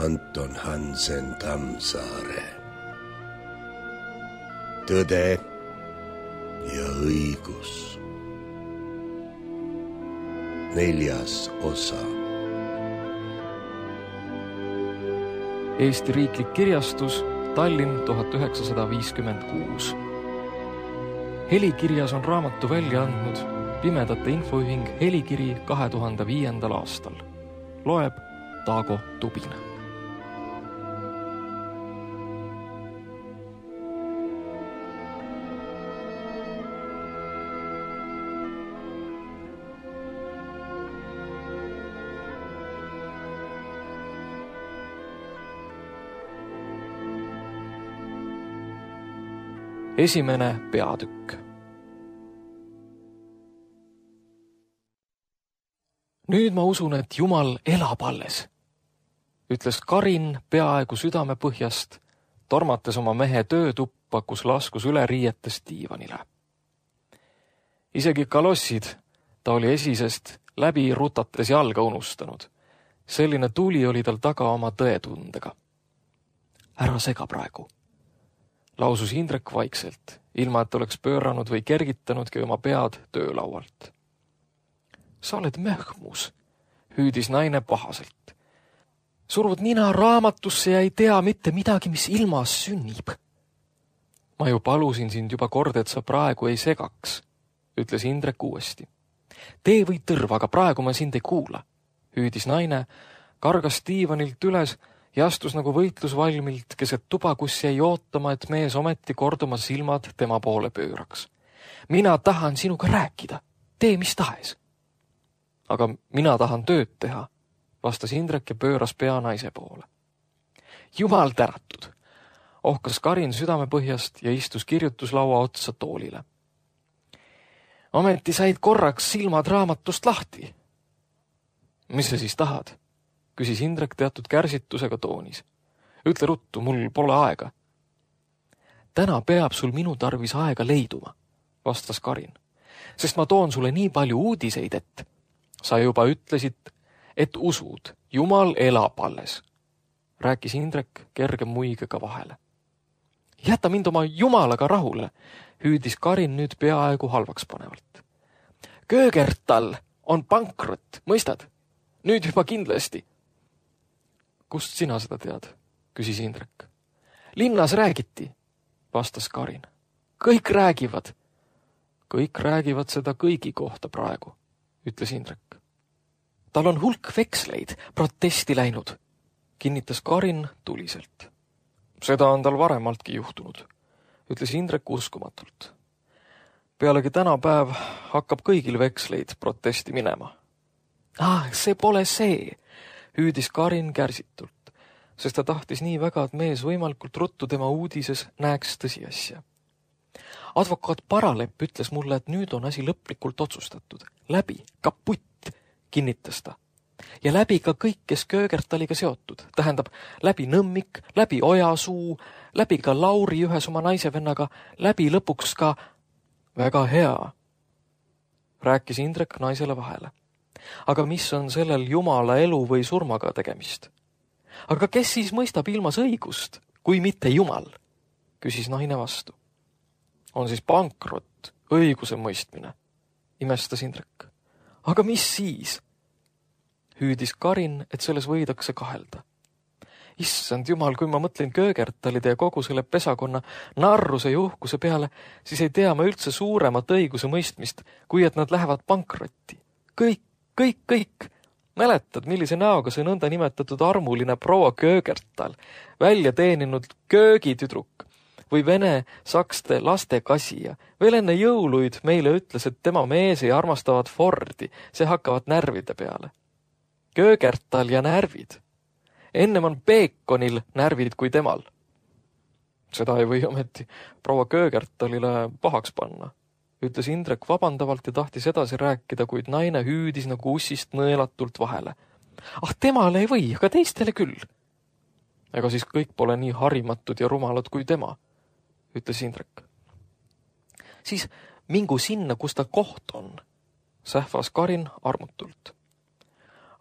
Anton Hansen Tammsaare. Tõde ja õigus. 4. osa. Eesti Riiklik Kirjastus, Tallinn 1956. Helikirjas on raamatu välja andnud Pimedate Infoühing Helikiri 2005. aastal. Loeb Taago Tubin. Esimene peatükk. Nüüd ma usun, et Jumal elab alles, ütles Karin peaaegu südame põhjast, tormates oma mehe töötuppa, kus laskus üle riietest diivanile. Isegi kalossid ta oli esisest läbi rutates jalga unustanud. Selline tuli oli tal taga oma tõetundega. Ära sega praegu, lausus Indrek vaikselt, ilma et oleks pööranud või kergitanudki oma pead töölaualt. Sa oled möhmus, hüüdis naine pahaselt. Survud nina raamatusse ja ei tea mitte midagi, mis ilmas sünnib. Ma ju palusin sind juba kord, et sa praegu ei segaks, ütles Indrek uuesti. Tee või tõrv, aga praegu ma sind ei kuula, hüüdis naine, kargas diivanilt üles ja astus nagu võitlusvalmilt keset tuba, kus jäi ootama, et mees ometi korduma silmad tema poole pööraks. Mina tahan sinuga rääkida, tee mis tahes. Aga mina tahan tööd teha, vastas Indrek ja pööras pea naise poole. Jumal tänatud, ohkas Karin südamepõhjast ja istus kirjutuslaua otsa toolile. Ometi said korraks silmad raamatust lahti. Mis sa siis tahad? Küsis Indrek teatud kärsitusega toonis. Ütle ruttu, mul pole aega. Täna peab sul minu tarvis aega leiduma, vastas Karin, sest ma toon sulle nii palju uudiseid, et sa juba ütlesid, et usud, Jumal elab alles, rääkis Indrek kerge muigega vahele. Jäta mind oma Jumalaga rahule, hüüdis Karin nüüd peaaegu halvaks panevalt. Köögertal on pankrot, mõistad? Nüüd juba kindlasti. Kust sina seda tead? Küsis Indrek. Linnas räägiti, vastas Karin. Kõik räägivad. Kõik räägivad seda kõigi kohta praegu, ütles Indrek. Tal on hulk veksleid protesti läinud, kinnitas Karin tuliselt. Seda on tal varemaltki juhtunud, ütles Indrek uskumatult. Pealegi tänapäev hakkab kõigil veksleid protesti minema. See pole see, hüüdis Karin kärsitult, sest ta tahtis nii väga, et mees võimalikult ruttu tema uudises näeks tõsiasja. Advokaat Paralepp ütles mulle, et nüüd on asi lõplikult otsustatud. Läbi, kaputt, kinnitas ta. Ja läbi ka kõik, kes Köögertaliga seotud. Tähendab, läbi Nõmmik, läbi Ojasuu, läbi ka Lauri ühes oma naisevennaga, läbi lõpuks ka väga hea, rääkis Indrek naisele vahele. Aga mis on sellel Jumala elu või surmaga tegemist? Aga kes siis mõistab ilmas õigust, kui mitte Jumal? Küsis naine vastu. On siis pankrot, õiguse mõistmine, imestas Indrek. Aga mis siis? Hüüdis Karin, et selles võidakse kahelda. Issand Jumal, kui ma mõtlen Köögertalide ja kogu selle pesakonna narruse ja uhkuse peale, siis ei tea ma üldse suuremat õiguse mõistmist, kui et nad lähevad pankrotti. Kõik. Mäletad, millise näoga see nõnda nimetatud armuline proua Köögertal, välja teeninud köögitüdruk või vene sakste lastekasija. Veel enne jõuluid meile ütles, et tema mees ei armastavad Fordi, see hakkavad närvide peale. Köögertal ja närvid. Ennem on Peekonil närvid kui temal. Seda ei või ometi proua Köögertalile pahaks panna, ütles Indrek vabandavalt ja tahtis edasi rääkida, kuid naine hüüdis nagu ussist nõelatult vahele. Temale ei või, aga teistele küll. Ega siis kõik pole nii harimatud ja rumalad kui tema, ütles Indrek. Siis mingu sinna, kus ta koht on, sähvas Karin armutult.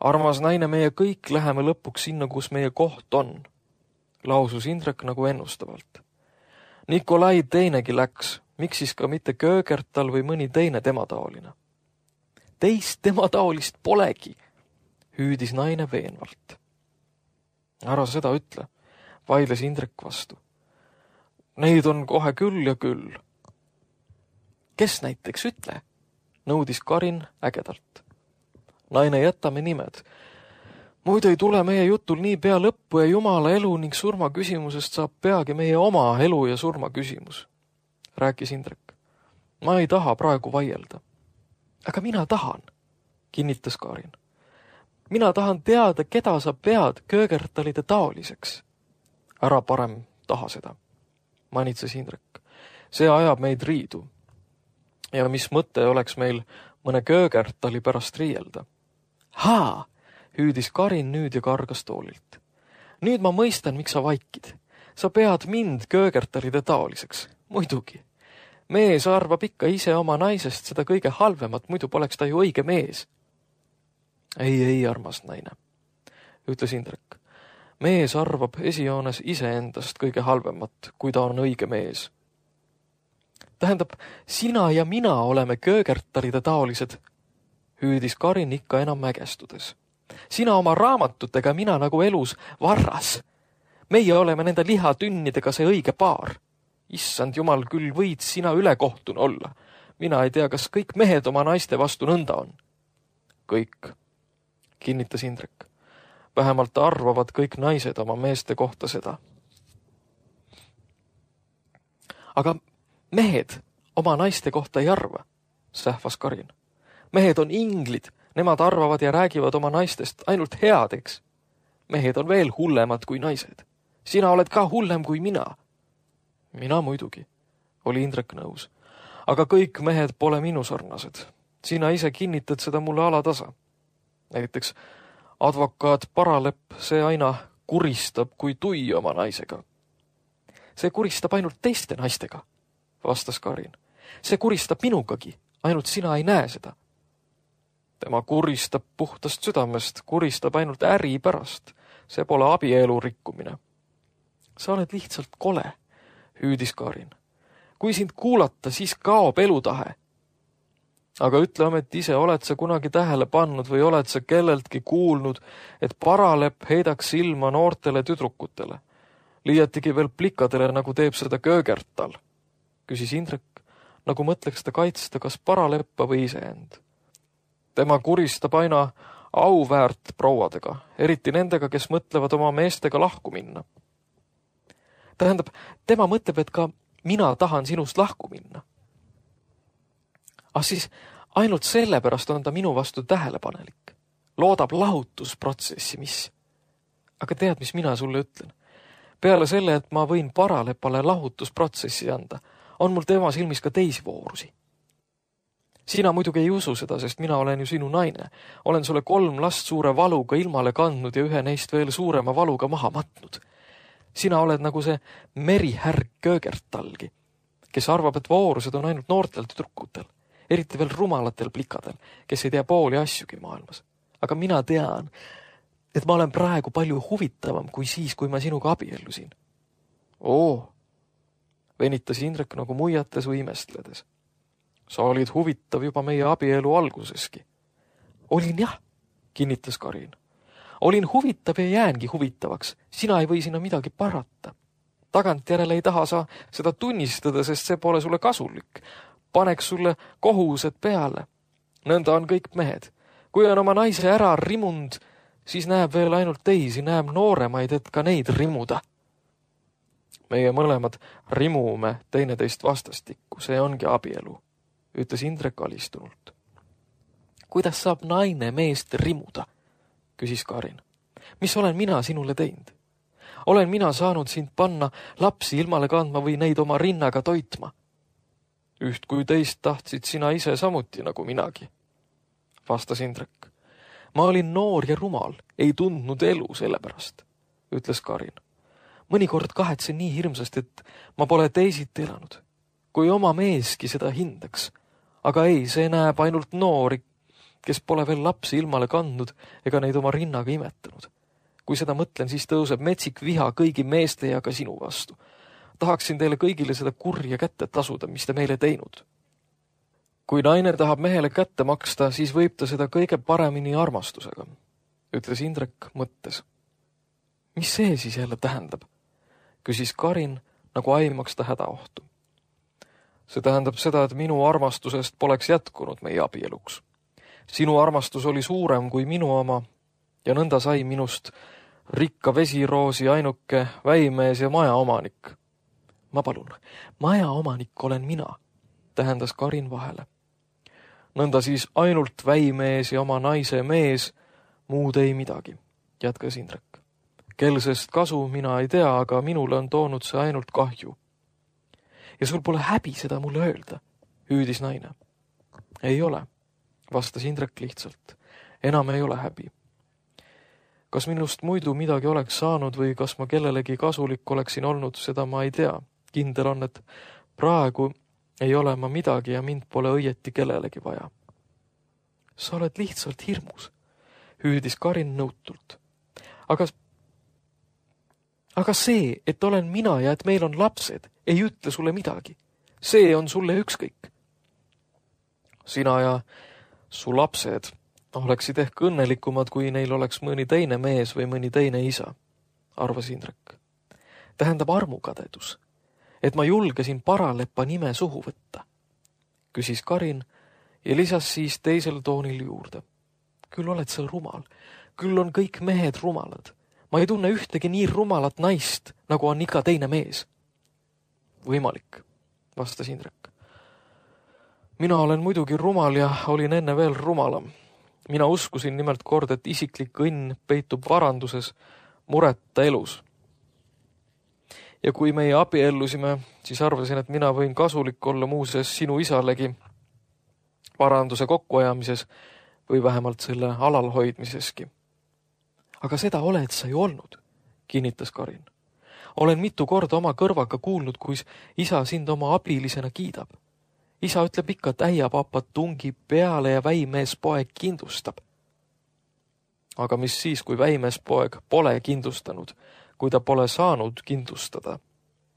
Armas naine, meie kõik läheme lõpuks sinna, kus meie koht on, lausus Indrek nagu ennustavalt. Nikolai teinegi läks, miks siis ka mitte Köögertal või mõni teine temataoline. Teist temataolist polegi, hüüdis naine veenvalt. Ära seda ütle, vaidles Indrek vastu. Neid on kohe küll ja küll. Kes näiteks ütle, nõudis Karin ägedalt. Naine, jätame nimed. Muidu ei tule meie jutul nii pea lõppu ja jumala elu ning surma küsimusest saab peagi meie oma elu ja surma küsimus, rääkis Indrek. Ma ei taha praegu vaielda. Aga mina tahan, kinnitas Karin. Mina tahan teada, keda sa pead Köögertalide taoliseks. Ära parem taha seda, manitses Indrek. See ajab meid riidu. Ja mis mõte oleks meil mõne Köögertali pärast riielda? Haa, hüüdis Karin nüüd ja kargas toolilt. Nüüd ma mõistan, miks sa vaikid. Sa pead mind Köögertalide taoliseks. Muidugi. Mees arvab ikka ise oma naisest seda kõige halvemat, muidu poleks ta ju õige mees. Ei, armas naine, ütles Indrek. Mees arvab esijoones iseendast kõige halvemat, kui ta on õige mees. Tähendab, sina ja mina oleme Köögertalide taolised, hüüdis Karin ikka enam mägestudes. Sina oma raamatutega, mina nagu elus varras. Meie oleme nende lihatünnidega see õige paar. Issand jumal, küll võid sina ülekohtune olla. Mina ei tea, kas kõik mehed oma naiste vastu nõnda on. Kõik, kinnitas Indrek. Vähemalt arvavad kõik naised oma meeste kohta seda. Aga mehed oma naiste kohta ei arva, sähvas Karin. Mehed on inglid, nemad arvavad ja räägivad oma naistest ainult headeks. Mehed on veel hullemad kui naised. Sina oled ka hullem kui mina. Mina muidugi, oli Indrek nõus. Aga kõik mehed pole minu sarnased. Sina ise kinnitad seda mulle alatasa. Näiteks advokaat Paralepp, see aina kuristab kui tui oma naisega. See kuristab ainult teiste naistega, vastas Karin. See kuristab minugagi, ainult sina ei näe seda. Tema kuristab puhtast südamest, kuristab ainult äri pärast. See pole abielu rikkumine. Sa oled lihtsalt kole, hüüdis Karin. Kui sind kuulata, siis kaob elutahe. Aga ütle ometi ise, oled sa kunagi tähele pannud või oled sa kelleltki kuulnud, et Paralepp heidaks silma noortele tüdrukutele, liiatigi veel plikadele, nagu teeb seda Köögertal, küsis Indrek, nagu mõtleks ta kaitsta kas Paraleppa või iseend. Tema kuristab aina auväärt prouadega, eriti nendega, kes mõtlevad oma meestega lahku minna. Tähendab, tema mõtleb, et ka mina tahan sinust lahku minna. Siis ainult sellepärast on ta minu vastu tähelepanelik. Loodab lahutusprotsessi, mis. Aga tead, mis mina sulle ütlen? Peale selle, et ma võin Paralepale lahutusprotsessi anda, on mul tema silmis ka teisi voorusi. Sina muidugi ei usu seda, sest mina olen ju sinu naine. Olen sulle 3 last suure valuga ilmale kandnud ja ühe neist veel suurema valuga maha matnud. Sina oled nagu see merihärg Köögertalgi, kes arvab, et voorused on ainult noortel tüdrukutel, eriti veel rumalatel plikadel, kes ei tea pooli asjugi maailmas. Aga mina tean, et ma olen praegu palju huvitavam kui siis, kui ma sinuga abiellusin. Venitas Indrek nagu muiates või imestledes. Sa olid huvitav juba meie abielu alguseski. Olin jah, kinnitas Karin. Olin huvitav ja jäängi huvitavaks. Sina ei või sinna midagi parata. Tagantjärele ei taha sa seda tunnistada, sest see pole sulle kasulik. Paneks sulle kohused peale. Nõnda on kõik mehed. Kui on oma naise ära rimund, siis näeb veel ainult teisi, näeb nooremaid, et ka neid rimuda. Meie mõlemad rimume teineteist vastastikku, see ongi abielu, ütles Indrek alistunult. Kuidas saab naine meest rimuda, küsis Karin. Mis olen mina sinule teinud? Olen mina saanud sind panna lapsi ilmale kandma või neid oma rinnaga toitma? Üht kui teist tahtsid sina ise samuti nagu minagi, vastas Indrek. Ma olin noor ja rumal, ei tundnud elu sellepärast, ütles Karin. Mõnikord kahetsen nii hirmsasti, et ma pole teisiti elanud, kui oma meeski seda hindaks. Aga ei, see näeb ainult noori, kes pole veel lapsi ilmale kandnud ega neid oma rinnaga imetanud. Kui seda mõtlen, siis tõuseb metsik viha kõigi meeste ja ka sinu vastu. Tahaksin teile kõigile seda kurja kätte tasuda, mis te meile teinud. Kui naine tahab mehele kätte maksta, siis võib ta seda kõige paremini armastusega, ütles Indrek mõttes. Mis see siis jälle tähendab? Küsis Karin, nagu aimaks ta hädaohtu. See tähendab seda, et minu armastusest poleks jätkunud meie abieluks. Sinu armastus oli suurem kui minu oma ja nõnda sai minust rikka vesiroosi ainuke väimees ja majaomanik. Ma palun, majaomanik olen mina, tähendas Karin vahele. Nõnda siis ainult väimees ja oma naise mees, muud ei midagi, jätkas Indrek. Kelsest kasu mina ei tea, aga minule on toonud see ainult kahju. Ja sul pole häbi seda mulle öelda, hüüdis naine. Ei ole, vastas Indrek lihtsalt. Enam ei ole häbi. Kas minust muidu midagi oleks saanud või kas ma kellelegi kasulik oleksin olnud, seda ma ei tea. Kindel on, et praegu ei ole ma midagi ja mind pole õieti kellelegi vaja. Sa oled lihtsalt hirmus, hüüdis Karin nõutult. Aga see, et olen mina ja et meil on lapsed, ei ütle sulle midagi. See on sulle ükskõik. Sina ja su lapsed oleksid ehk õnnelikumad, kui neil oleks mõni teine mees või mõni teine isa, arvas Indrek. Tähendab armukadedus, et ma julgesin paralepa nime suhu võtta, küsis Karin ja lisas siis teisel toonil juurde. Küll oled sa rumal, küll on kõik mehed rumalad. Ma ei tunne ühtegi nii rumalat naist, nagu on iga teine mees. Võimalik, vastas Indrek. Mina olen muidugi rumal ja olin enne veel rumalam. Mina uskusin nimelt kord, et isiklik õnn peitub varanduses, mureta elus. Ja kui meie abiellusime, siis arvasin, et mina võin kasulik olla muuseas sinu isalegi varanduse kokkuajamises või vähemalt selle alalhoidmiseski. Aga seda oled sa ju olnud, kinnitas Karin. Olen mitu korda oma kõrvaga kuulnud, kui isa sind oma abilisena kiidab. Isa ütleb ikka, et äiapapad tungib peale ja väimeespoeg kindustab. Aga mis siis, kui väimeespoeg pole kindustanud, kui ta pole saanud kindlustada,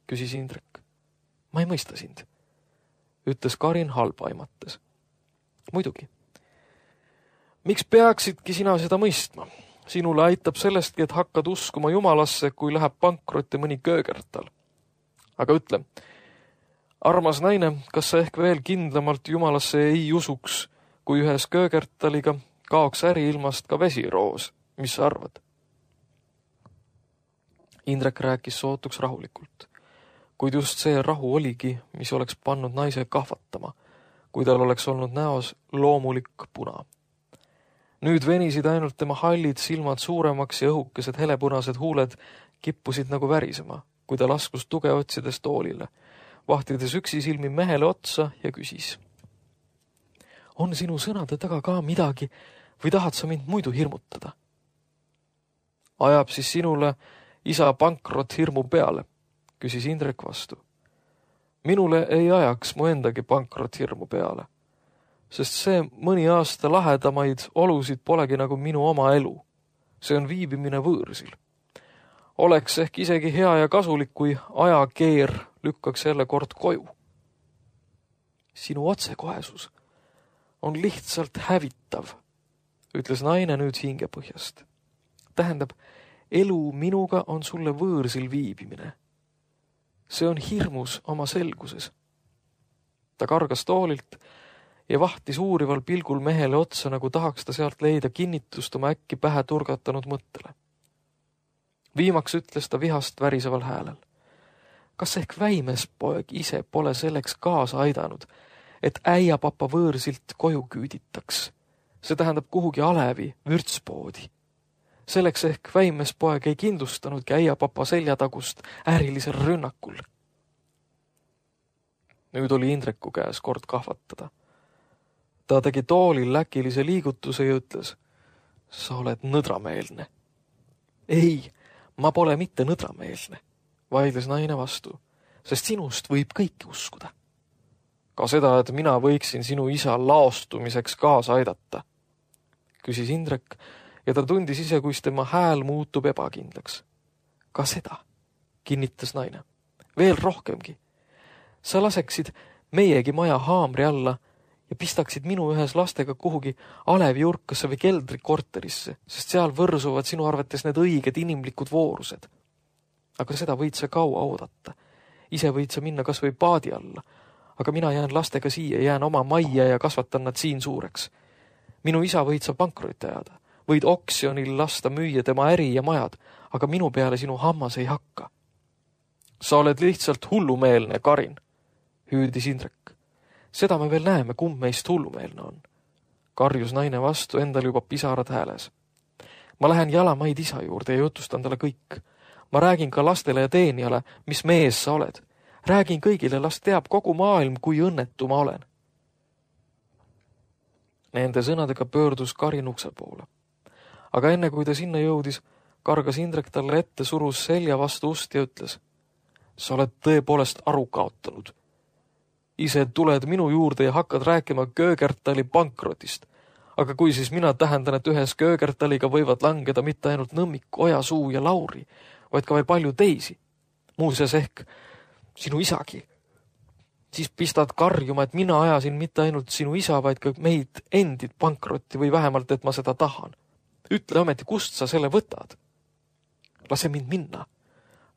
küsis Indrek. Ma ei mõista sind, ütles Karin halba aimates. Muidugi. Miks peaksidki sina seda mõistma? Sinule aitab sellestki, et hakkad uskuma Jumalasse, kui läheb pankrotti mõni köögertal. Aga ütle, armas naine, kas sa ehk veel kindlamalt Jumalasse ei usuks, kui ühes köögertaliga kaoks äriilmast ka vesiroos? Mis sa arvad? Indrek rääkis sootuks rahulikult, kuid just see rahu oligi, mis oleks pannud naise kahvatama, kui tal oleks olnud näos loomulik puna. Nüüd venisid ainult tema hallid silmad suuremaks ja õhukesed helepunased huuled kippusid nagu värisema, kui ta laskus tuge otsides toolile, vahtides üksi silmi mehele otsa ja küsis. On sinu sõnade taga ka midagi või tahad sa mind muidu hirmutada? Ajab siis sinule isa pankrot hirmu peale, küsis Indrek vastu. Minule ei ajaks mu endagi pankrot hirmu peale. Sest see mõni aasta lahedamaid olusid polegi nagu minu oma elu. See on viibimine võõrsil. Oleks ehk isegi hea ja kasulik, kui ajakeer lükkaks jälle kord koju. Sinu otsekohesus on lihtsalt hävitav, ütles naine nüüd hingepõhjast. Tähendab, elu minuga on sulle võõrsil viibimine. See on hirmus oma selguses. Ta kargas toolilt ja vahtis uurival pilgul mehele otsa, nagu tahaks ta sealt leida kinnitust oma äkki pähe turgatanud mõttele. Viimaks ütles ta vihast väriseval häälel. Kas ehk väimespoeg ise pole selleks kaasa aidanud, et äiapapa võõrsilt koju küüditaks? See tähendab kuhugi alevi, vürtspoodi. Selleks ehk väimespoeg ei kindlustanudki äiapapa seljatagust ärilisel rünnakul. Nüüd oli Indreku käes kord kahvatada. Ta tegi toolil läkilise liigutuse ja ütles, sa oled nõdrameelne. Ei, ma pole mitte nõdrameelne, vaidles naine vastu, sest sinust võib kõike uskuda. Ka seda, et mina võiksin sinu isa laostumiseks kaasa aidata, küsis Indrek ja ta tundis ise, kus tema hääl muutub ebakindlaks. Ka seda, kinnitas naine. Veel rohkemgi. Sa laseksid meiegi maja haamri alla ja pistaksid minu ühes lastega kuhugi alevjurkasse või keldrikorterisse, sest seal võrsuvad sinu arvates need õiged inimlikud voorused. Aga seda võid sa kaua oodata. Ise võid sa minna kas või paadi alla, aga mina jään lastega siia, jään oma majja ja kasvatan nad siin suureks. Minu isa võid sa pankrotti ajada, võid oksjonil lasta müüa tema äri ja majad, aga minu peale sinu hammas ei hakka. Sa oled lihtsalt hullumeelne, Karin, hüüdis Indrek. Seda me veel näeme, kumb meist hullumeelne on. Karjus naine vastu, endal juba pisarad hääles. Ma lähen jalamaid isa juurde ja jutustan talle kõik. Ma räägin ka lastele ja teenijale, mis mees sa oled. Räägin kõigile, las teab kogu maailm, kui õnnetu ma olen. Nende sõnadega pöördus Karin ukse poole. Aga enne kui ta sinna jõudis, kargas Indrek talle ette, surus selja vastu ust ja ütles: Sa oled tõepoolest aru kaotanud. Ise tuled minu juurde ja hakkad rääkima Köögertali pankrotist. Aga kui siis mina tähendan, et ühes Köögertaliga võivad langeda mitte ainult Nõmmik, Ojasuu ja Lauri, vaid ka veel palju teisi. Muuseas ehk sinu isagi. Siis pistad karjuma, et mina ajasin mitte ainult sinu isa, vaid ka meid endid pankrotti või vähemalt, et ma seda tahan. Ütle ometi, kust sa selle võtad? Lase mind minna,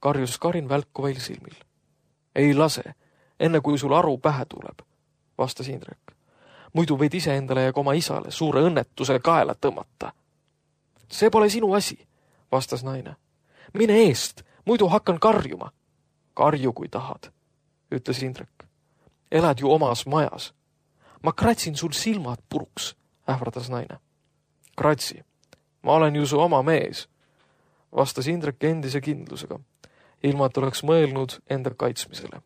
karjus Karin välkuvail silmil. Ei lase, enne kui sul aru pähe tuleb, vastas Indrek. Muidu võid ise endale ja ka oma isale suure õnnetuse kaela tõmmata. See pole sinu asi, vastas naine. Mine eest, muidu hakkan karjuma. Karju, kui tahad, ütles Indrek. Elad ju omas majas. Ma kratsin sul silmad puruks, ähvardas naine. Kratsi, ma olen ju su oma mees, vastas Indrek endise kindlusega, ilma et oleks mõelnud enda kaitsmisele.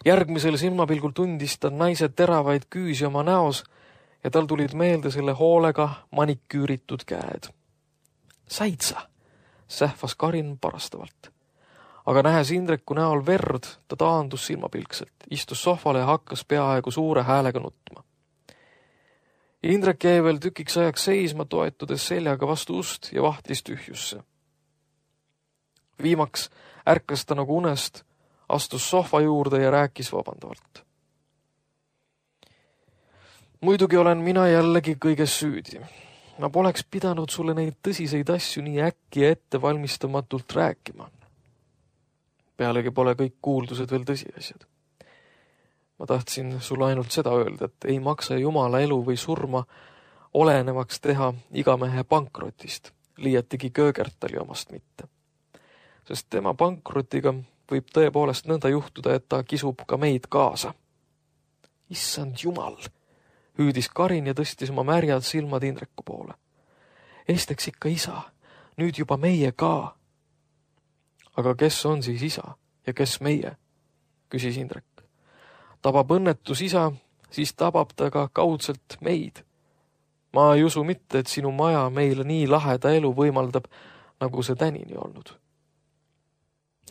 Järgmisel silmapilgul tundis ta naise teravaid küüsi oma näos ja tal tulid meelde selle hoolega maniküüritud käed. Said sa? Sähvas Karin parastavalt. Aga nähes Indreku näol verd, ta taandus silmapilkselt, istus sohvale ja hakkas peaaegu suure häälega nutma. Indrek jäi veel tükiks ajaks seisma, toetudes seljaga vastu ust ja vahtis tühjusse. Viimaks ärkas ta nagu unest, astus sohva juurde ja rääkis vabandavalt. Muidugi olen mina jällegi kõiges süüdi. Ma poleks pidanud sulle neid tõsiseid asju nii äkki ja ettevalmistamatult rääkima. Pealegi pole kõik kuuldused veel tõsiasjad. Ma tahtsin sulle ainult seda öelda, et ei maksa Jumala elu või surma olenevaks teha igamehe pankrotist, liiatigi Köögertali omast mitte. Sest tema pankrotiga võib tõepoolest nõnda juhtuda, et ta kisub ka meid kaasa. Issand Jumal, hüüdis Karin ja tõstis oma märjad silmad Indreku poole. Esteks ikka isa, nüüd juba meie ka. Aga kes on siis isa ja kes meie, küsis Indrek. Tabab õnnetus isa, siis tabab ta ka kaudselt meid. Ma ei usu mitte, et sinu maja meile nii laheda elu võimaldab, nagu see tänini olnud.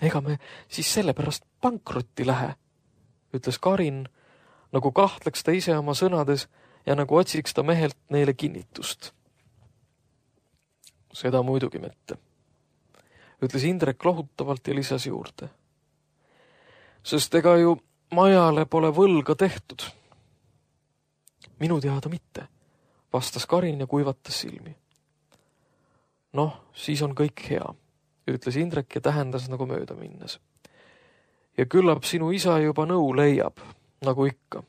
Ega me siis sellepärast pankrotti lähe, ütles Karin, nagu kahtleks ta ise oma sõnades ja nagu otsiks ta mehelt neile kinnitust. Seda muidugi mitte, ütles Indrek lohutavalt ja lisas juurde. Sest ega ju majale pole võlga tehtud. Minu teada mitte, vastas Karin ja kuivatas silmi. Noh, siis on kõik hea, ütles Indrek ja tähendas nagu mööda minnes. Ja küllap sinu isa juba nõu leiab, nagu ikka.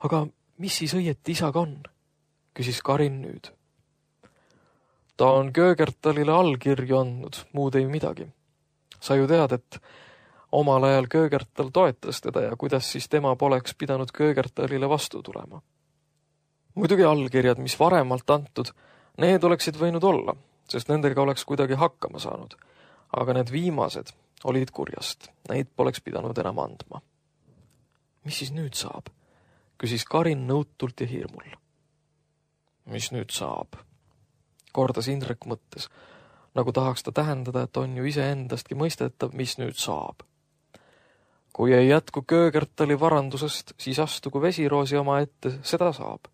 Aga mis siis õieti isaga on, küsis Karin nüüd. Ta on Köögertalile allkirju andnud, muud ei midagi. Sa ju tead, et omal ajal Köögertal toetas teda ja kuidas siis tema poleks pidanud Köögertalile vastu tulema. Muidugi allkirjad, mis varemalt antud, need oleksid võinud olla, sest nendega oleks kuidagi hakkama saanud. Aga need viimased olid kurjast, neid poleks pidanud enam andma. Mis siis nüüd saab? Küsis Karin nõutult ja hirmul. Mis nüüd saab? Kordas Indrek mõttes, nagu tahaks ta tähendada, et on ju iseendastki mõistetav, mis nüüd saab. Kui ei jätku Köögertali varandusest, siis astugu vesiroosi oma ette, seda saab.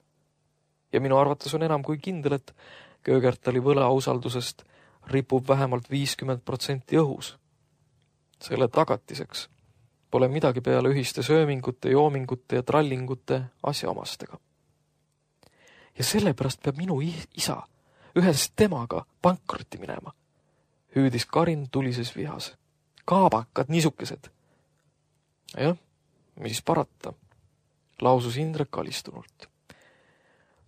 Ja minu arvates on enam kui kindel, et Köögertali võlausaldusest ripub vähemalt 50% õhus. Selle tagatiseks pole midagi peale ühiste söömingute, joomingute ja trallingute asjaomastega. Ja sellepärast peab minu isa ühes temaga pankrotti minema, hüüdis Karin tulises vihas. Kaabakad niisukesed. Jah, mis parata, lausus Indrek alistunult.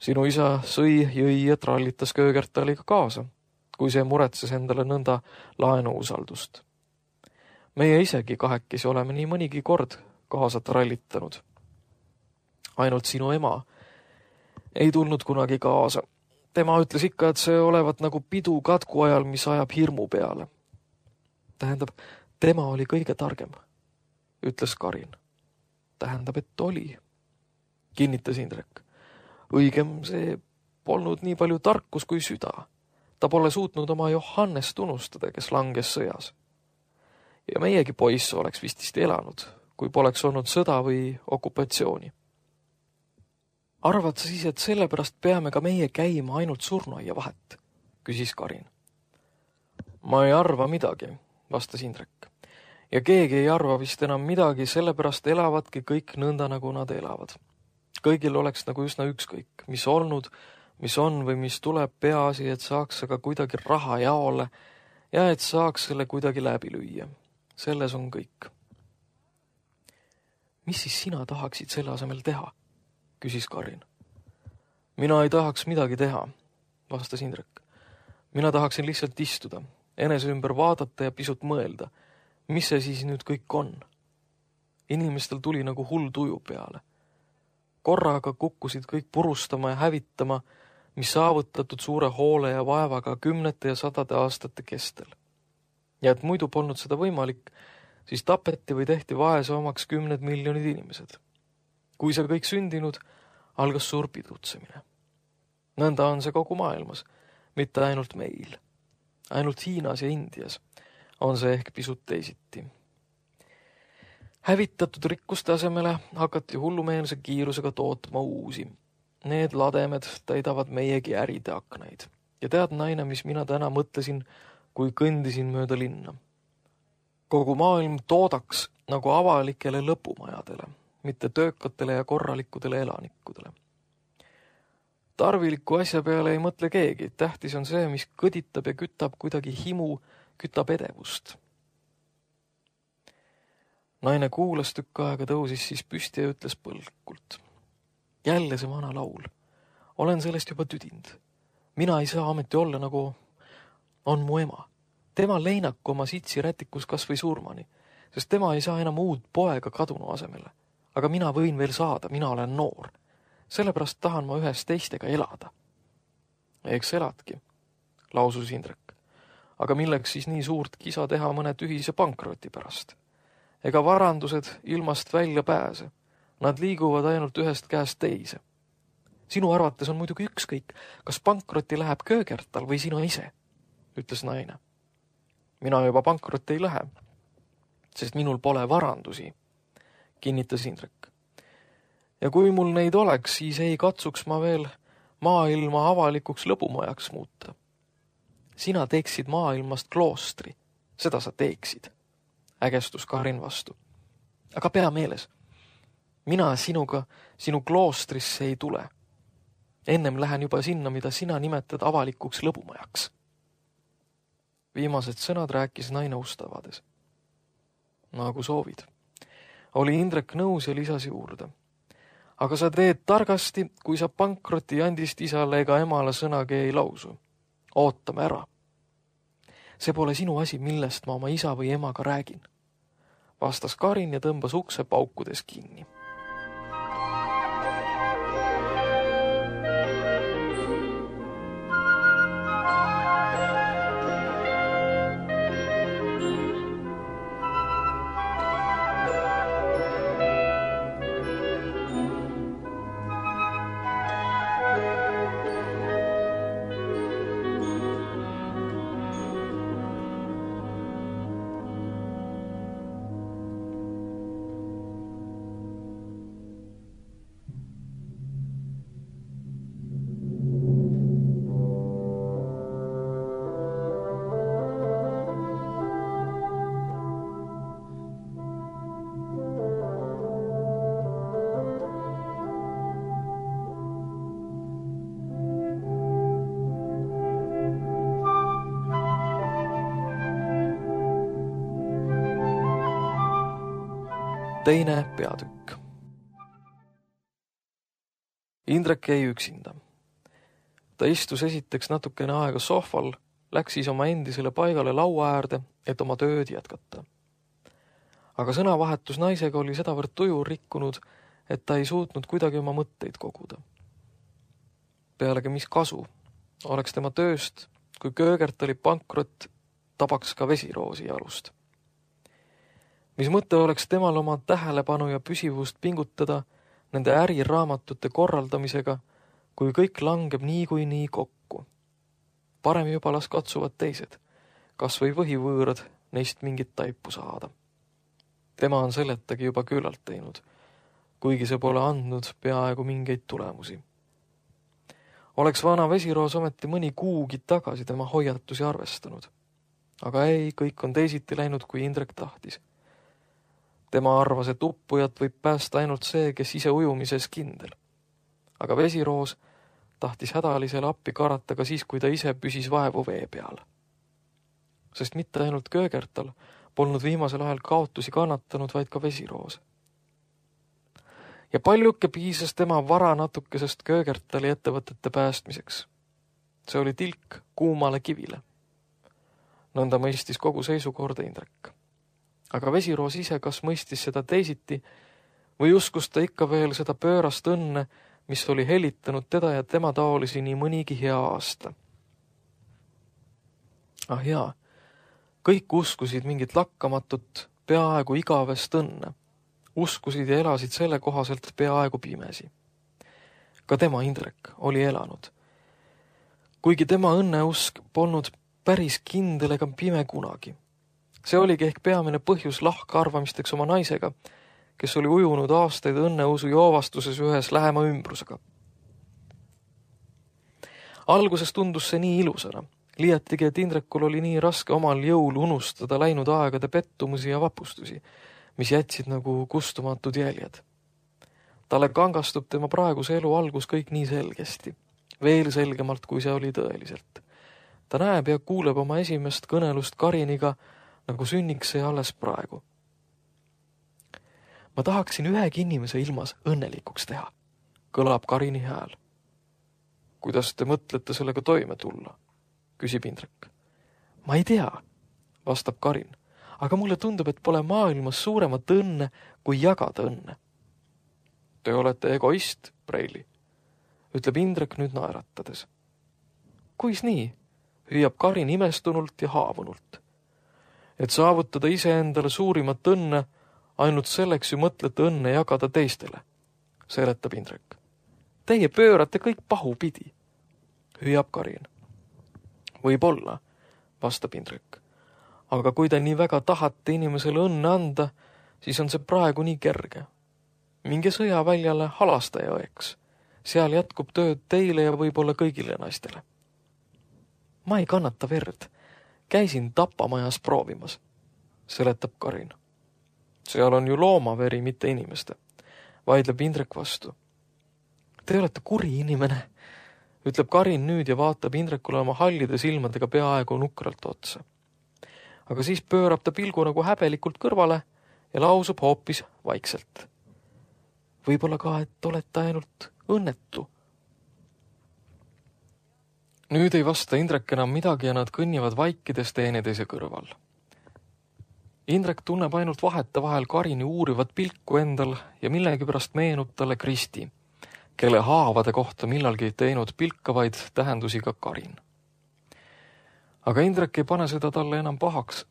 Sinu isa sõi, jõi ja trallitas Köögertaliga kaasa, kui see muretses endale nõnda laenuusaldust. Meie isegi kahekesi oleme nii mõnigi kord kaasa trallitanud. Ainult sinu ema ei tulnud kunagi kaasa. Tema ütles ikka, et see olevat nagu pidu katku ajal, mis ajab hirmu peale. Tähendab, tema oli kõige targem, ütles Karin. Tähendab, et oli, kinnitas Indrek. Õigem, see polnud nii palju tarkus kui süda. Ta pole suutnud oma Johannest unustada, kes langes sõjas. Ja meiegi poiss oleks vististi elanud, kui poleks olnud sõda või okupatsiooni. Arvad sa siis, et sellepärast peame ka meie käima ainult surnuaia vahet, küsis Karin. Ma ei arva midagi, vastas Indrek. Ja keegi ei arva vist enam midagi, sellepärast elavadki kõik nõnda, nagu nad elavad. Kõigil oleks nagu üsna ükskõik, mis olnud, mis on või mis tuleb, peaasi, et saaks aga kuidagi raha jaole ja et saaks selle kuidagi läbi lüüa. Selles on kõik. Mis siis sina tahaksid selle asemel teha? Küsis Karin. Mina ei tahaks midagi teha, vastas Indrek. Mina tahaksin lihtsalt istuda, enese ümber vaadata ja pisut mõelda, mis see siis nüüd kõik on. Inimestel tuli nagu hull tuju peale. Korraga kukkusid kõik purustama ja hävitama, mis saavutatud suure hoole ja vaevaga 10 ja 100 aastate kestel. Ja et muidu polnud seda võimalik, siis tapeti või tehti vaese omaks 10 miljonid inimesed. Kui see kõik sündinud, algas suur pidutsemine. Nõnda on see kogu maailmas, mitte ainult meil. Ainult Hiinas ja Indias on see ehk pisut teisiti. Hävitatud rikkuste asemele hakati hullumeelse kiirusega tootma uusi. Need lademed täidavad meiegi äride aknaid. Ja tead, naine, mis mina täna mõtlesin, kui kõndisin mööda linna. Kogu maailm toodaks nagu avalikele lõpumajadele, mitte töökatele ja korralikudele elanikudele. Tarviliku asja peale ei mõtle keegi, tähtis on see, mis kõditab ja kütab kuidagi himu, kütab edevust. Naine kuulas tükk aega, tõusis siis püsti ja ütles põlkult. Jälle see vana laul. Olen sellest juba tüdinud. Mina ei saa ameti olla nagu on mu ema. Tema leinaku oma sitsi rätikus kas või surmani, sest tema ei saa enam uut poega kadunu asemele. Aga mina võin veel saada, mina olen noor. Sellepärast tahan ma ühes teistega elada. Eks eladki, lausus Indrek. Aga milleks siis nii suurt kisa teha mõne tühise pankroti pärast? Ega varandused ilmast välja pääse. Nad liiguvad ainult ühest käest teise. Sinu arvates on muidugi ükskõik, kas pankrotti läheb Köögertal või sina ise, ütles naine. Mina juba pankrotti ei lähe, sest minul pole varandusi, kinnitas Indrek. Ja kui mul neid oleks, siis ei katsuks ma veel maailma avalikuks lõbumajaks muuta. Sina teeksid maailmast kloostri, seda sa teeksid, ägestus Karin vastu. Aga pea meeles, mina sinuga sinu kloostrisse ei tule. Ennem lähen juba sinna, mida sina nimetad avalikuks lõbumajaks. Viimased sõnad rääkis naine ustavades. Nagu soovid. Oli Indrek nõus ja lisas juurde. Aga sa teed targasti, kui sa pankroti andist isale ega emale sõnagi ei lausu. Ootame ära. See pole sinu asi, millest ma oma isa või emaga räägin. Vastas Karin ja tõmbas ukse paukudes kinni. Teine peatükk. Indrek jäi üksinda. Ta istus esiteks natukene aega sohval, läks siis oma endisele paigale laua äärde, et oma tööd jätkata. Aga sõnavahetus naisega oli sedavõrd tuju rikkunud, et ta ei suutnud kuidagi oma mõtteid koguda. Pealegi mis kasu oleks tema tööst, kui Köögertali pankrot tabaks ka Vesiroosi jalust. Mis mõte oleks temal oma tähelepanu ja püsivust pingutada nende äriraamatute korraldamisega, kui kõik langeb nii kokku. Parem juba las katsuvad teised, kas või võhivõõrad neist mingit taipu saada. Tema on selletagi juba küllalt teinud, kuigi see pole andnud peaaegu mingeid tulemusi. Oleks vana Vesiroos ometi mõni kuugi tagasi tema hoiatusi arvestanud. Aga ei, kõik on teisiti läinud, kui Indrek tahtis. Tema arvas, et uppujat võib päästa ainult see, kes ise ujumises kindel. Aga Vesiroos tahtis hädalisele appi karata ka siis, kui ta ise püsis vaevu vee peal. Sest mitte ainult Köögertal polnud viimasel ajal kaotusi kannatanud, vaid ka Vesiroos. Ja paljuke piisas tema vara natukesest Köögertali ettevõtete päästmiseks. See oli tilk kuumale kivile. Nõnda mõistis kogu seisukorda Indrek. Aga Vesiroos ise kas mõistis seda teisiti või uskus ta ikka veel seda pöörast õnne, mis oli helitanud teda ja tema taolisi nii mõnigi hea aasta. Ah jaa, kõik uskusid mingit lakkamatut, peaaegu igavest õnne. Uskusid ja elasid selle kohaselt peaaegu pimesi. Ka tema Indrek oli elanud. Kuigi tema õnneusk polnud päris kindel ega pime kunagi. See oligi ehk peamine põhjus lahkarvamisteks oma naisega, kes oli ujunud aastaid õnneusu joovastuses ühes lähema ümbrusega. Alguses tundus see nii ilusana, liiatigi, et Indrekul oli nii raske omal jõul unustada läinud aegade pettumusi ja vapustusi, mis jätsid nagu kustumatud jäljed. Talle kangastub tema praeguse elu algus kõik nii selgesti, veel selgemalt, kui see oli tõeliselt. Ta näeb ja kuuleb oma esimest kõnelust Kariniga, nagu sünniks see alles praegu. Ma tahaksin ühegi inimese ilmas õnnelikuks teha, kõlab Karini hääl. Kuidas te mõtlete sellega toime tulla? Küsib Indrek. Ma ei tea, vastab Karin, aga mulle tundub, et pole maailmas suuremat õnne, kui jagada õnne. Te olete egoist, Preili, ütleb Indrek nüüd naeratades. Kuis nii? Hüüab Karin imestunult ja haavunult. Et saavutada iseendale suurimat õnne, ainult selleks ju mõtlete õnne jagada teistele, seletab Indrek. Teie pöörate kõik pahupidi, hüüab Karin. Võib-olla, vastab Indrek. Aga kui te nii väga tahate inimesele õnne anda, siis on see praegu nii kerge. Minge sõjaväljale halastaja õeks. Seal jätkub tööd teile ja võib-olla kõigile naistele. Ma ei kannata verd. Käisin tapamajas proovimas, seletab Karin. Seal on ju loomaveri, mitte inimeste, vaidleb Indrek vastu. Te olete kuri inimene, ütleb Karin nüüd ja vaatab Indrekule oma hallide silmadega peaaegu nukralt otsa. Aga siis pöörab ta pilgu nagu häbelikult kõrvale ja lausub hoopis vaikselt. Võib-olla ka, et olete ainult õnnetu. Nüüd ei vasta Indrek enam midagi ja nad kõnnivad vaikides teineteise kõrval. Indrek tunneb ainult vahetevahel Karini uurivat pilku endal ja millegipärast meenub talle Kristi, kelle haavade kohta millalgi teinud pilkavaid tähendusi ka Karin. Aga Indrek ei pane seda talle enam pahaks,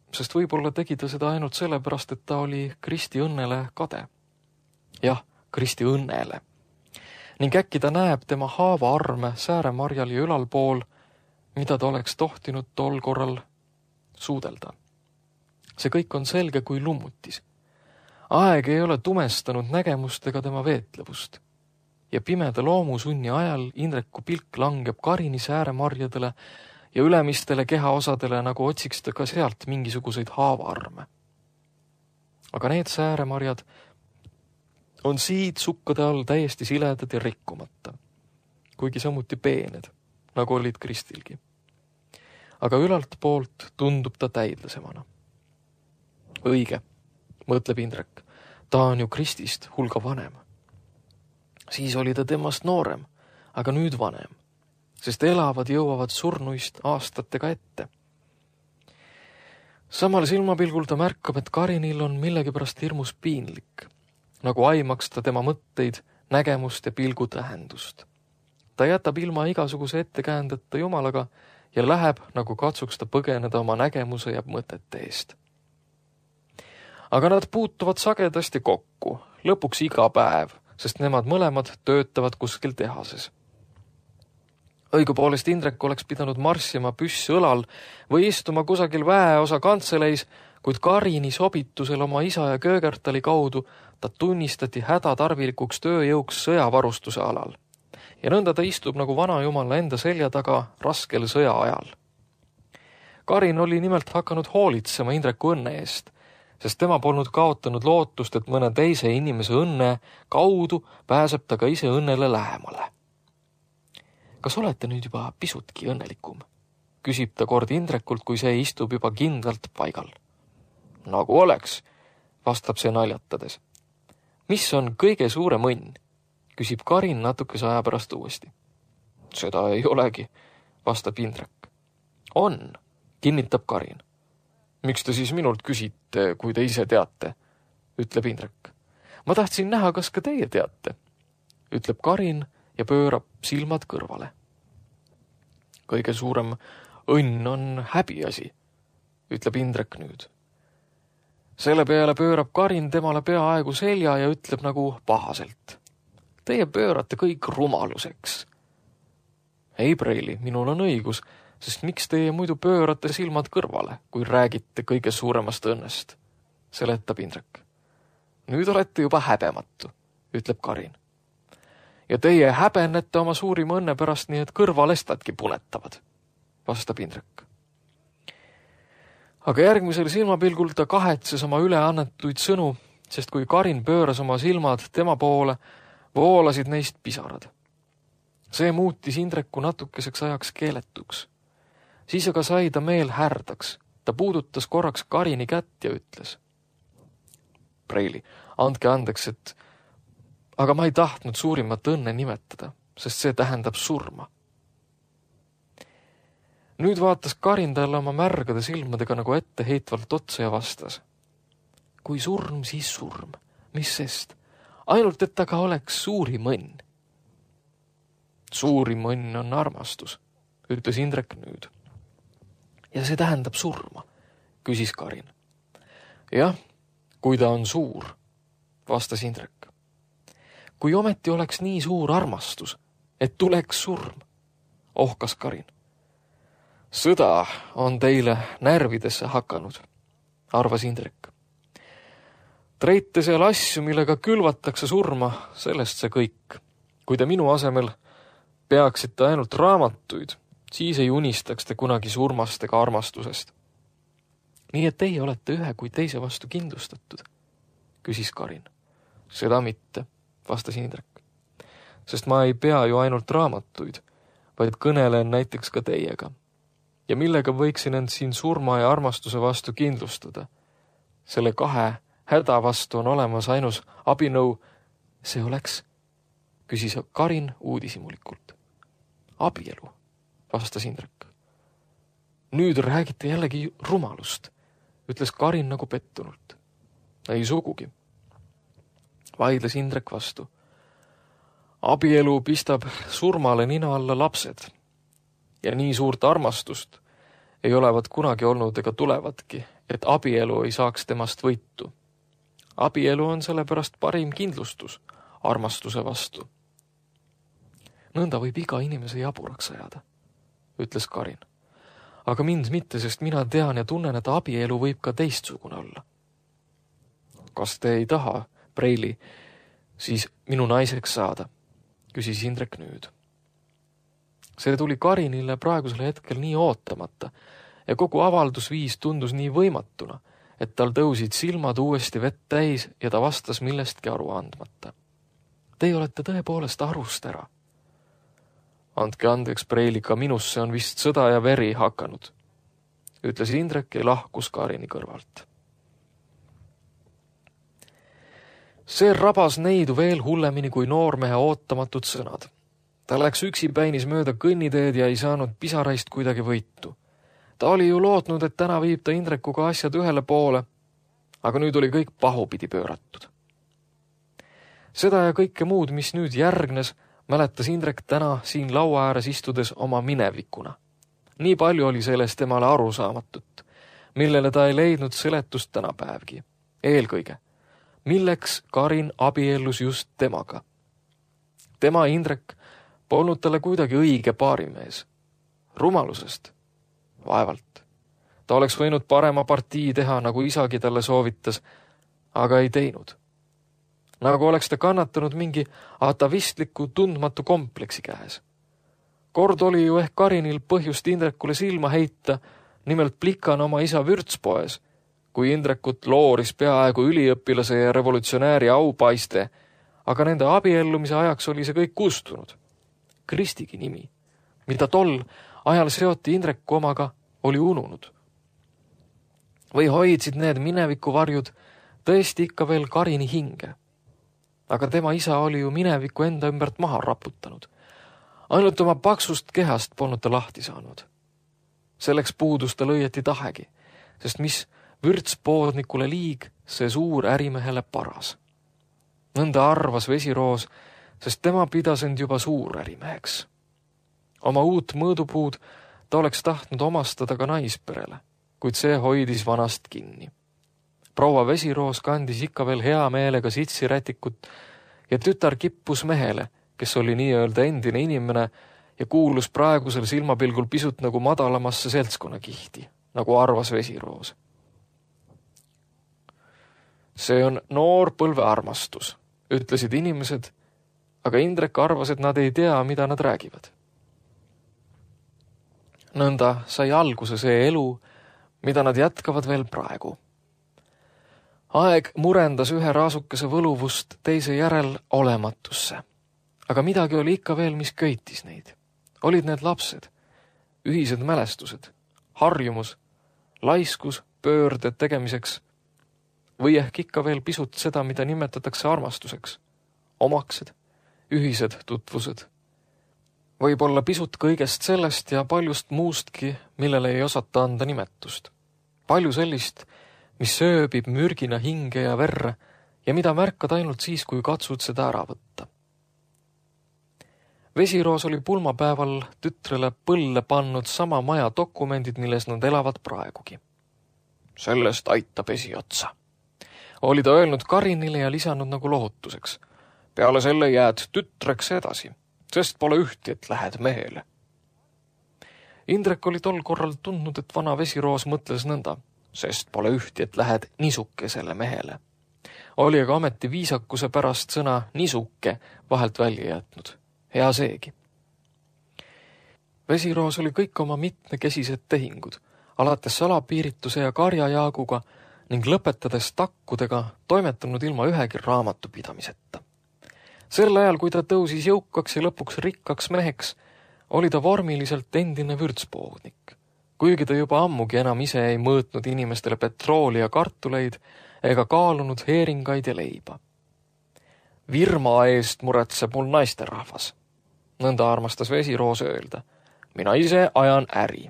sest võib-olla tegi ta seda ainult sellepärast, et ta oli Kristi õnnele kade. Jah, Kristi õnnele. Ning äkki ta näeb tema haava arme sääremarjal ja ülalpool, mida ta oleks tohtinud tol korral suudelda. See kõik on selge kui lummutis. Aeg ei ole tumestanud nägemust ega tema veetlevust. Ja pimeda loomusunni ajal Indreku pilk langeb Karini sääremarjadele ja ülemistele kehaosadele, nagu otsiks ta ka sealt mingisuguseid haavaarme. Aga need sääremarjad on siid sukkade all täiesti siledad ja rikkumata, kuigi samuti peened, nagu olid Kristilgi. Aga ülalt poolt tundub ta täidlesemana. Õige, mõtleb Indrek. Ta on ju Kristist hulga vanem. Siis oli ta temast noorem, aga nüüd vanem, sest elavad jõuavad surnuist aastatega ette. Samal silmapilgul ta märkab, et Karinil on millegipärast hirmus piinlik, nagu aimaks ta tema mõtteid, nägemust ja pilgu tähendust. Ta jätab ilma igasuguse ettekäändeta Jumalaga ja läheb, nagu katsuks ta põgeneda oma nägemuse ja mõtete eest. Aga nad puutuvad sagedasti kokku, lõpuks iga päev, sest nemad mõlemad töötavad kuskil tehases. Õigupoolest Indrek oleks pidanud marssima püss õlal või istuma kusagil väeosa kantseleis, kuid Karini sobitusel oma isa ja Köögertali kaudu ta tunnistati hädatarvilikuks tööjõuks sõjavarustuse alal. Ja nõnda ta istub nagu vanajumala enda selja taga raskel sõja ajal. Karin oli nimelt hakanud hoolitsema Indreku õnne eest, sest tema polnud kaotanud lootust, et mõne teise inimese õnne kaudu pääseb ta ka ise õnnele lähemale. Kas olete nüüd juba pisutki õnnelikum? Küsib ta kord Indrekult, kui see istub juba kindlalt paigal. Nagu oleks, vastab see naljatades. Mis on kõige suurem õnn? Küsib Karin natukese aja pärast uuesti. Seda ei olegi, vastab Indrek. On, kinnitab Karin. Miks te siis minult küsite, kui te ise teate? Ütleb Indrek. Ma tahtsin näha, kas ka teie teate, ütleb Karin ja pöörab silmad kõrvale. Kõige suurem õnn on häbiasi, ütleb Indrek nüüd. Selle peale pöörab Karin temale peaaegu selja ja ütleb nagu pahaselt. Teie pöörate kõik rumaluseks. Ei, Preili, minul on õigus, sest miks teie muidu pöörate silmad kõrvale, kui räägite kõige suuremast õnnest, seletab Indrek. Nüüd olete juba häbematu, ütleb Karin. Ja teie häbenete oma suurima õnne pärast nii, et kõrvalestadki punetavad, vastab Indrek. Aga järgmisel silmapilgul ta kahetses oma üleannetuid sõnu, sest kui Karin pööras oma silmad tema poole, voolasid neist pisarad. See muutis Indreku natukeseks ajaks keeletuks. Siis aga sai ta meel härdaks. Ta puudutas korraks Karini kätt ja ütles. Preili, andke andeks, aga ma ei tahtnud suurimat õnne nimetada, sest see tähendab surma. Nüüd vaatas Karin talle oma märgade silmadega nagu etteheitvalt otsa ja vastas. Kui surm, siis surm. Mis sest? Ainult, et aga oleks suurim õnn. Suurim õnn on armastus, ütles Indrek nüüd. Ja see tähendab surma, küsis Karin. Jah, kui ta on suur, vastas Indrek. Kui ometi oleks nii suur armastus, et tuleks surm, ohkas Karin. Sõda on teile närvidesse hakanud, arvas Indrek. Treite seal asju, millega külvatakse surma, sellest see kõik. Kui te minu asemel peaksite ainult raamatuid, siis ei unistaks te kunagi surmast ega armastusest. Nii et teie olete ühe kui teise vastu kindlustatud, küsis Karin. Seda mitte, vastas Indrek. Sest ma ei pea ju ainult raamatuid, vaid kõnelen näiteks ka teiega. Ja millega võiksin end siin surma ja armastuse vastu kindlustada? Selle kahe häda vastu on olemas ainus abinõu. See oleks, küsis Karin uudishimulikult. Abielu, vastas Indrek. Nüüd räägite jällegi rumalust, ütles Karin nagu pettunult. Ei sugugi, vaidles Indrek vastu. Abielu pistab surmale nina alla lapsed. Ja nii suurt armastust ei olevat kunagi olnud ega tulevadki, et abielu ei saaks temast võitu. Abielu on sellepärast parim kindlustus armastuse vastu. Nõnda võib iga inimese jaburaks ajada, ütles Karin. Aga mind mitte, sest mina tean ja tunnen, et abielu võib ka teistsugune olla. Kas te ei taha, Preili, siis minu naiseks saada, küsis Indrek nüüd. See tuli Karinile praegusel hetkel nii ootamata ja kogu avaldusviis tundus nii võimatuna, et tal tõusid silmad uuesti vett täis ja ta vastas millestki aru andmata. Teie olete tõepoolest arust ära. Andke andeks, Preili, ka minusse on vist sõda ja veri hakanud, ütles Indrek ja lahkus Karini kõrvalt. See rabas neidu veel hullemini kui noormehe ootamatud sõnad. Ta läks üksipäinis mööda kõnniteed ja ei saanud pisaraist kuidagi võitu. Ta oli ju lootnud, et täna viib ta Indrekuga asjad ühele poole, aga nüüd oli kõik pahupidi pööratud. Seda ja kõike muud, mis nüüd järgnes, mäletas Indrek täna siin laua ääres istudes oma minevikuna. Nii palju oli sellest temale arusaamatut, millele ta ei leidnud seletust tänapäevgi. Eelkõige, milleks Karin abiellus just temaga. Tema Indrek polnud talle kuidagi õige paarimees. Rumalusest? Vaevalt. Ta oleks võinud parema partii teha, nagu isagi talle soovitas, aga ei teinud. Nagu oleks ta kannatanud mingi atavistliku tundmatu kompleksi käes. Kord oli ju ehk Karinil põhjust Indrekule silma heita, nimelt plikana oma isa vürtspoes, kui Indrekut looris peaaegu üliõpilase ja revolutsionääri aupaiste, aga nende abiellumise ajaks oli see kõik kustunud. Kristigi nimi, mida tol ajal seoti Indreku omaga, oli ununud. Või hoidsid need minevikuvarjud tõesti ikka veel Karini hinge. Aga tema isa oli ju mineviku enda ümbert maha raputanud. Ainult oma paksust kehast polnud ta lahti saanud. Selleks puudus tal õieti tahegi, sest mis vürtspoodnikule liig, see suur ärimehele paras. Nõnda arvas Vesiroos, sest tema pidas end juba suur ärimeheks. Oma uut mõõdupuud ta oleks tahtnud omastada ka naisperele, kuid see hoidis vanast kinni. Proua Vesiroos kandis ikka veel hea meelega sitsirätikut ja tütar kippus mehele, kes oli nii-öelda endine inimene ja kuulus praegusel silmapilgul pisut nagu madalamasse seltskonnakihti, nagu arvas Vesiroos. See on noor põlve armastus, ütlesid inimesed, aga Indrek arvas, et nad ei tea, mida nad räägivad. Nõnda sai alguse see elu, mida nad jätkavad veel praegu. Aeg murendas ühe raasukese võluvust teise järel olematusse. Aga midagi oli ikka veel, mis köitis neid. Olid need lapsed, ühised mälestused, harjumus, laiskus pöörde tegemiseks või ehk ikka veel pisut seda, mida nimetatakse armastuseks, omaksed, ühised tutvused. Võib-olla pisut kõigest sellest ja paljust muustki, millele ei osata anda nimetust. Palju sellist, mis sööbib mürgina hinge ja verre ja mida märkad ainult siis, kui katsud seda ära võtta. Vesiroos oli pulmapäeval tütrele põlle pannud sama maja dokumendid, milles nad elavad praegugi. Sellest aitab esiotsa. Oli ta öelnud Karinile ja lisanud nagu lohutuseks. Peale selle jääd tütreks edasi, sest pole ühti, et lähed mehele. Indrek oli tol korral tundnud, et vana Vesiroos mõtles nõnda, sest pole ühti, et lähed nisukesele mehele. Oli aga ameti viisakuse pärast sõna nisuke vahelt välja jätnud. Hea seegi. Vesiroos oli kõik oma mitmekesised tehingud, alates salapiirituse ja karjajaaguga ning lõpetades takkudega toimetanud ilma ühegi raamatupidamiseta. Sel ajal, kui ta tõusis jõukaks ja lõpuks rikkaks meheks, oli ta vormiliselt endine vürtspoodnik, kuigi ta juba ammugi enam ise ei mõõtnud inimestele petrooli ja kartuleid ega kaalunud heeringaid ja leiba. Virma eest muretseb mul naisterahvas. Nõnda armastas Vesiroos öelda. Mina ise ajan äri.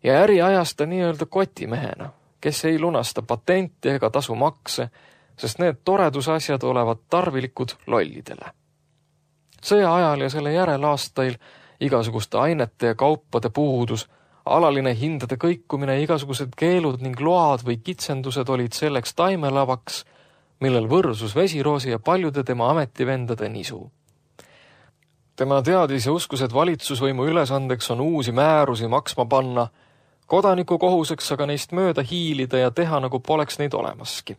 Ja äri ajas ta nii-öelda kotimehena, kes ei lunasta patenti ega tasu makse, sest need toredusasjad olevat tarvilikud lollidele. Sõja ajal ja selle järelaastail igasuguste ainete ja kaupade puudus, alaline hindade kõikumine, igasugused keelud ning load või kitsendused olid selleks taimelavaks, millel võrsus Vesiroosi ja paljude tema ametivendade nisu. Tema teadis ja uskus, et valitsusvõimu ülesandeks on uusi määrusi maksma panna, kodaniku kohuseks aga neist mööda hiilida ja teha, nagu poleks neid olemaski.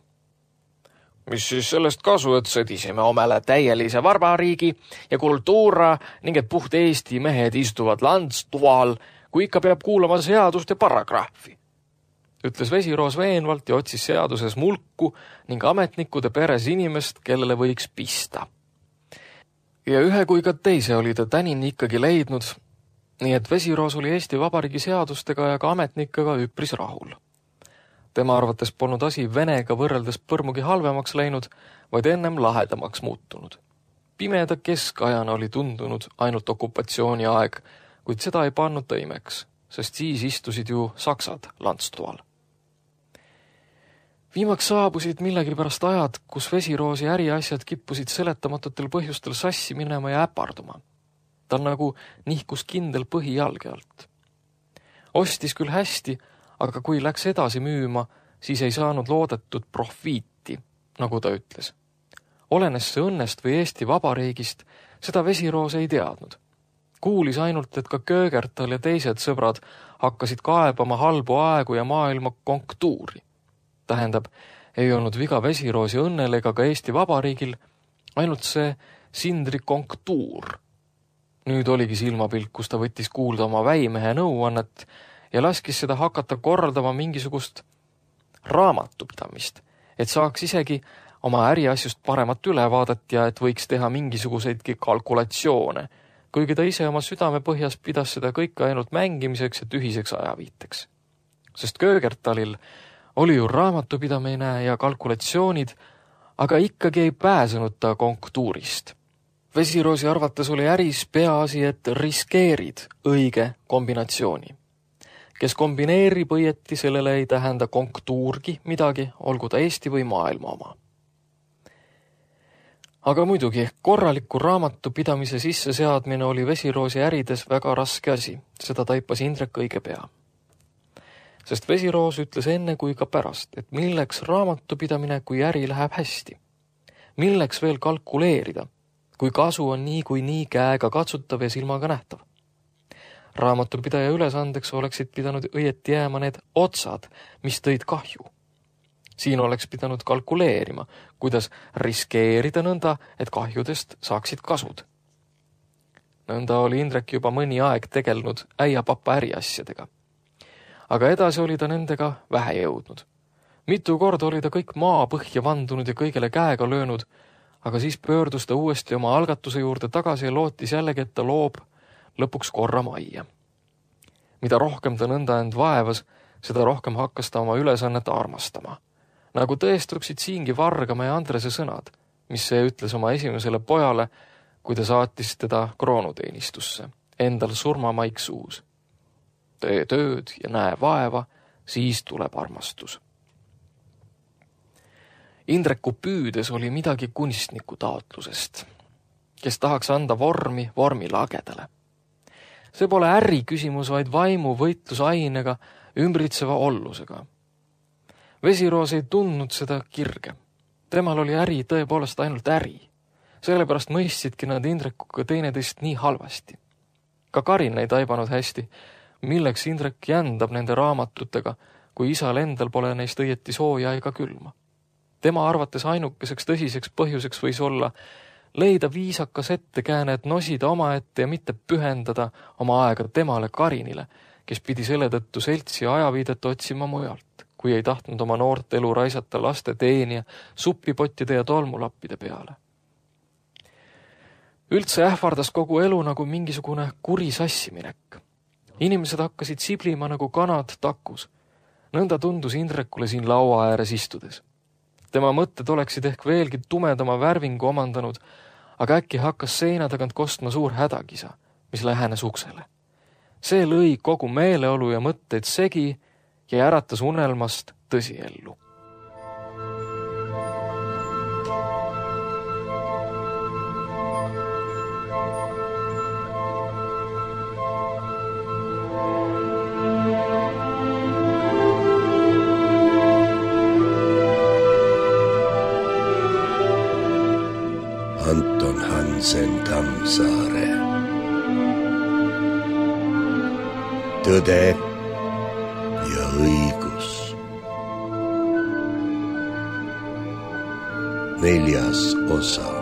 Mis siis sellest kasu, et sõdisime omale täielise varbariigi ja kultuura ning et puht Eesti mehed istuvad landstual, kui ikka peab kuulama seadust ja paragrahvi, ütles Vesiroos veenvalt ja otsis seaduses mulku ning ametnikude peres inimest, kellele võiks pista. Ja ühe kui ka teise oli ta tänini ikkagi leidnud, nii et Vesiroos oli Eesti Vabariigi seadustega ja ka ametnikega üpris rahul. Tema arvates polnud asi Venega võrreldes põrmugi halvemaks läinud, vaid ennem lahedamaks muutunud. Pimeda keskajana oli tundunud ainult okupatsiooni aeg, kuid seda ei pannud ta imeks, sest siis istusid ju saksad lantstoal. Viimaks saabusid millegipärast ajad, kus Vesiroosi äriasjad kippusid seletamatutel põhjustel sassi minema ja äparduma. Tal nagu nihkus kindel põhi jalge alt. Ostis küll hästi, aga kui läks edasi müüma, siis ei saanud loodetud profiiti, nagu ta ütles. Olenes see õnnest või Eesti Vabariigist, seda Vesiroos ei teadnud. Kuulis ainult, et ka Köögertal ja teised sõbrad hakkasid kaebama halbu aegu ja maailma konjunktuuri. Tähendab, ei olnud viga Vesiroosi õnnel ega ka Eesti Vabariigil, ainult see Sindri konjunktuur. Nüüd oligi silmapilt, kus ta võttis kuulda oma väimehe nõuannet ja laskis seda hakata korraldama mingisugust raamatupidamist, et saaks isegi oma äriasjust paremat ülevaadet ja et võiks teha mingisuguseidki kalkulatsioone, kuigi ta ise oma südamepõhjas pidas seda kõike ainult mängimiseks ja tühiseks ajaviiteks. Sest Köögertalil oli ju raamatupidamine ja kalkulatsioonid, aga ikkagi ei pääsenud ta konjunktuurist. Vesiroosi arvates oli äris peaasi, et riskeerid õige kombinatsiooni. Kes kombineerib õieti, sellele ei tähenda konjunktuurgi midagi, olgu ta Eesti või maailma oma. Aga muidugi, korraliku raamatupidamise sisseseadmine oli Vesiroosi ärides väga raske asi, seda taipas Indrek õige pea. Sest Vesiroos ütles enne kui ka pärast, et milleks raamatupidamine, kui äri läheb hästi. Milleks veel kalkuleerida, kui kasu on nii käega katsutav ja silmaga nähtav. Raamatupidaja ülesandeks oleksid pidanud õieti jääma need otsad, mis tõid kahju. Siin oleks pidanud kalkuleerima, kuidas riskeerida nõnda, et kahjudest saaksid kasud. Nõnda oli Indrek juba mõni aeg tegelnud äiapapa äriasjadega. Aga edasi oli ta nendega vähe jõudnud. Mitu korda oli ta kõik maa põhja vandunud ja kõigele käega löönud, aga siis pöördus ta uuesti oma algatuse juurde tagasi ja lootis jällegi, et ta loob lõpuks korra majja. Mida rohkem ta nõnda end vaevas, seda rohkem hakkas ta oma ülesannet armastama. Nagu tõestuksid siingi Vargamäe ja Andrese sõnad, mis see ütles oma esimesele pojale, kui ta saatis teda kroonuteenistusse, endal surmamaik suus. Tee tööd ja näe vaeva, siis tuleb armastus. Indreku püüdes oli midagi kunstniku taotlusest, kes tahaks anda vormi lagedale. See pole äri küsimus, vaid vaimu võitlusainega, ümbritseva ollusega. Vesiroos ei tundnud seda kirge. Temal oli äri tõepoolest ainult äri. Sellepärast mõistsidki nad Indrekuga teineteist nii halvasti. Ka Karin ei taibanud hästi, milleks Indrek jändab nende raamatutega, kui isal endal pole neist õieti sooja ega külma. Tema arvates ainukeseks tõsiseks põhjuseks võis olla leida viisakas ettekääne, et nosida oma ette ja mitte pühendada oma aega temale Karinile, kes pidi selle tõttu seltsi ajaviidet otsima mujalt, kui ei tahtnud oma noort elu raisata laste teenija, suppipottide ja tolmulappide peale. Üldse ähvardas kogu elu nagu mingisugune kuri sassiminek. Inimesed hakkasid siblima nagu kanad takus. Nõnda tundus Indrekule siin laua ääres istudes. Tema mõtted oleksid ehk veelgi tumedama värvingu omandanud, aga äkki hakkas seina tagant kostma suur hädakisa, mis lähenes uksele. See lõi kogu meeleolu ja mõtteid segi ja äratas unelmast tõsiellu. Anton Hansen Tammsaare. Tõde ja õigus. 4. osa.